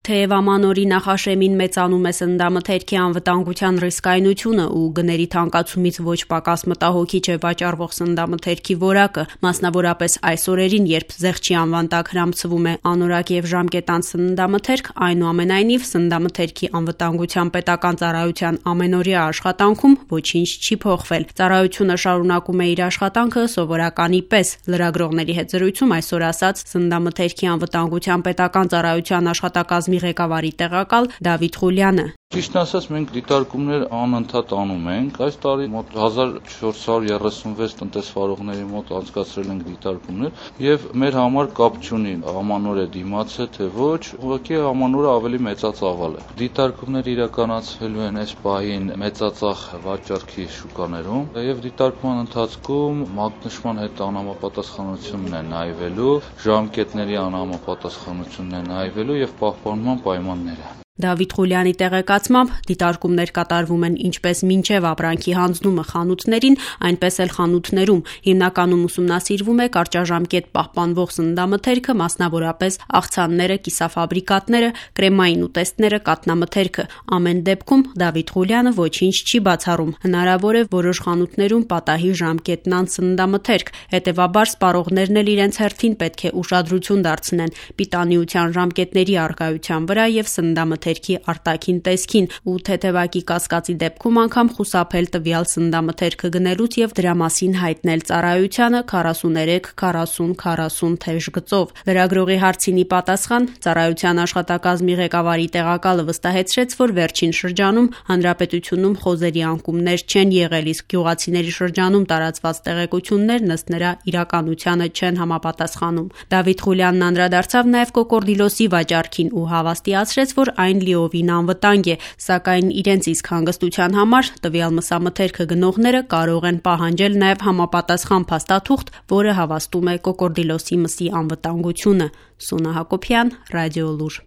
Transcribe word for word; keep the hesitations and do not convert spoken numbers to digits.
Թեև ամանորի նախաշեմին մեծանում է սննդամթերքի անվտանգության ռիսկայնությունը ու գների թանկացումից ոչ պակաս մտահոգիչ է վաճառվող սննդամթերքի որակը, մասնավորապես այս օրերին, երբ զեղչի անվան տակ հրամցվում է անորակ եւ ժամկետանց սննդամթերք, այնուամենայնիվ սննդամթերքի անվտանգության պետական ծառայության ամենօրյա աշխատանքում ոչինչ չի փոխվել։ Ծառայությունը շարունակում է իր աշխատանքը սովորականի պես, լրագրողների հետ զրույցում այսօր ասաց սննդամթերքի անվտանգության պետական ծառայության աշխատակազմի ղեկավարի տեղակալ Դավիթ Ղուլյանը։ Ճիշտն ասած, մենք դիտարկումներ անընդհատ անում ենք։ Այս տարի մոտ հազար չորս հարյուր երեսունվեց տնտեսվարողների մոտ անցկացրել ենք դիտարկումներ եւ մեր համար կապ չունի ամանոր է դիմաց է թե ոչ, ուղղակի ամանորը ավելի մեծածավալ է։ Դիտարկումները իրականացվելու են այս պահին մեծածախ վաճառքի շուկաներում եւ դիտարկման ընթացքում մագնշման հետ անհամապատասխանությունն է նայվելու, ժամկետների անհամապատասխանությունն է նայվելու եւ պահպանման պայմանները։ Դավիթ Ղուլյանի տեղեկացմամբ դիտարկումներ կատարվում են ինչպես մինչև ապրանքի հանձնումը խանութներին, այնպես էլ խանութներում։ Հիմնականում ուսումնասիրվում է կարճաժամկետ պահպանվող սննդամթերքը, մասնավորապես աղցանները, կիսաֆաբրիկատները, կրեմային ուտեստները, կաթնամթերքը։ Ամեն դեպքում Դավիթ Ղուլյանը ոչինչ չի բացառում։ Հնարավոր է որոշ խանութներում պատահի ժամկետնանց սննդամթերք, հետևաբար սպառողներն էլ իրենց հերթին պետք է ուշադրություն դարձնեն պիտանիության ժամկետների առկայության վրա եւ սննդամթերքի արտաքին տեսքին ու թեթևակի կասկածի դեպքում անգամ խուսափել տվյալ սննդամթերքը գնելուց եւ դրա մասին հայտնել ծառայությանը քառասուներեք քառասուն քառասուն թեժ գծով։ Լրագրողի հարցին ի պատասխան ծառայության աշխատակազմի ղեկավարի տեղակալը վստահեցրեց, որ վերջին շրջանում հանրապետությունում խոզերի անկումներ չեն եղել, իսկ գյուղացիների շրջանում տարածված տեղեկություններն ըստ նրա իրականությանը չեն համապատասխանում։ Դավիթ Ղուլյանն անդրադարձավ նաեւ կոկորդիլոսի վաճառքին ու հավաստիացրեց, որ այն լիովին անվտանգ է, սակայն իրենց իսկ հանգստության համար տվյալ մսամթերքը գնողները կարող են պահանջել նաև համապատասխան փաստաթուղթ, որը հավաստում է կոկորդիլոսի մսի անվտանգությունը։ Սունա Հակոբյան, Ռադիոլուր։